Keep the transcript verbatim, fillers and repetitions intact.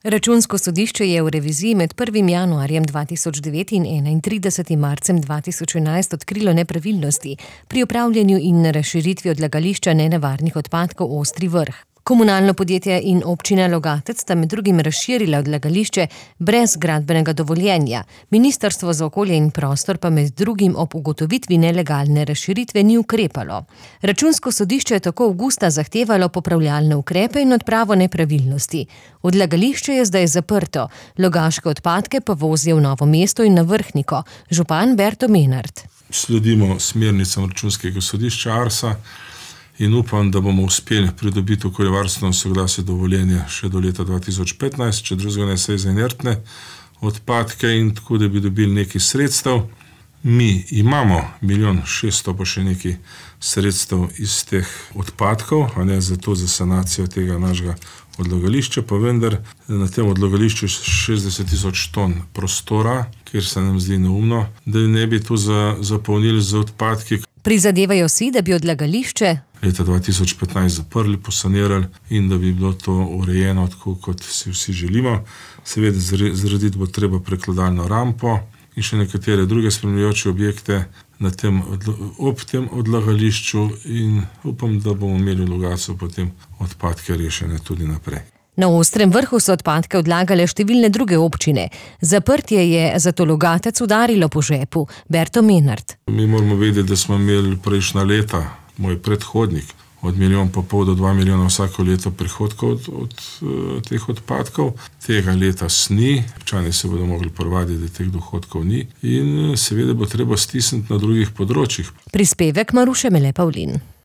Računsko sodišče je v reviziji med prvim januarjem dva tisoč devet in enaintridesetim marcem dva tisoč enajst odkrilo nepravilnosti pri upravljanju in razširitvi odlagališča nenevarnih odpadkov Ostri Vrh. Komunalno podjetje in občina Logatec sta med drugim razširila odlagališče brez gradbenega dovoljenja. Ministrstvo za okolje in prostor pa med drugim ob ugotovitvi nelegalne razširitve ni ukrepalo. Računsko sodišče je tako avgusta zahtevalo popravljalne ukrepe in odpravo nepravilnosti. Odlagališče je zdaj zaprto, logaške odpadke pa vozijo v Novo mesto in na Vrhniko. Župan Berto Menart. Sledimo smernicam Računskega sodišča Arsa in upam, da bomo uspeli pridobiti okoljevarstveno soglasje dovoljenja še do leta dva tisoč petnajst, če drugega ne se za inertne odpadke in tako, da bi dobili nekaj sredstev. Mi imamo milijon šeststo pa še nekaj sredstev iz teh odpadkov, a ne za to, za sanacijo tega našega odlagališča, pa vendar na tem odlagališču šestdeset tisoč ton prostora, kjer se nam zdi neumno, da ne bi to zapolnili z odpadki. Prizadevajo si, da bi odlagališče leta dva tisoč petnajst zaprli, posanirali in da bi bilo to urejeno tako, kot si vsi želimo. Seveda zgraditi bo treba prekladalno rampo in še nekatere druge spremljajoče objekte na tem, ob tem odlagališču in upam, da bomo imeli v Logatcu potem odpadke rešene tudi naprej. Na Ostrem Vrhu so odpadke odlagale številne druge občine. Zaprtje je zato Logatec udarilo po žepu. Berto Menart. Mi moramo vedeti, da smo imeli prejšnja leta, moj predhodnik, od milijon pa pol do dva milijona vsako leto prihodkov od, od, od teh odpadkov. Tega leta ni, občani se bodo mogli privaditi, da teh dohodkov ni in seveda bo treba stisniti na drugih področjih. Prispevek Maruše Mele Pavlin.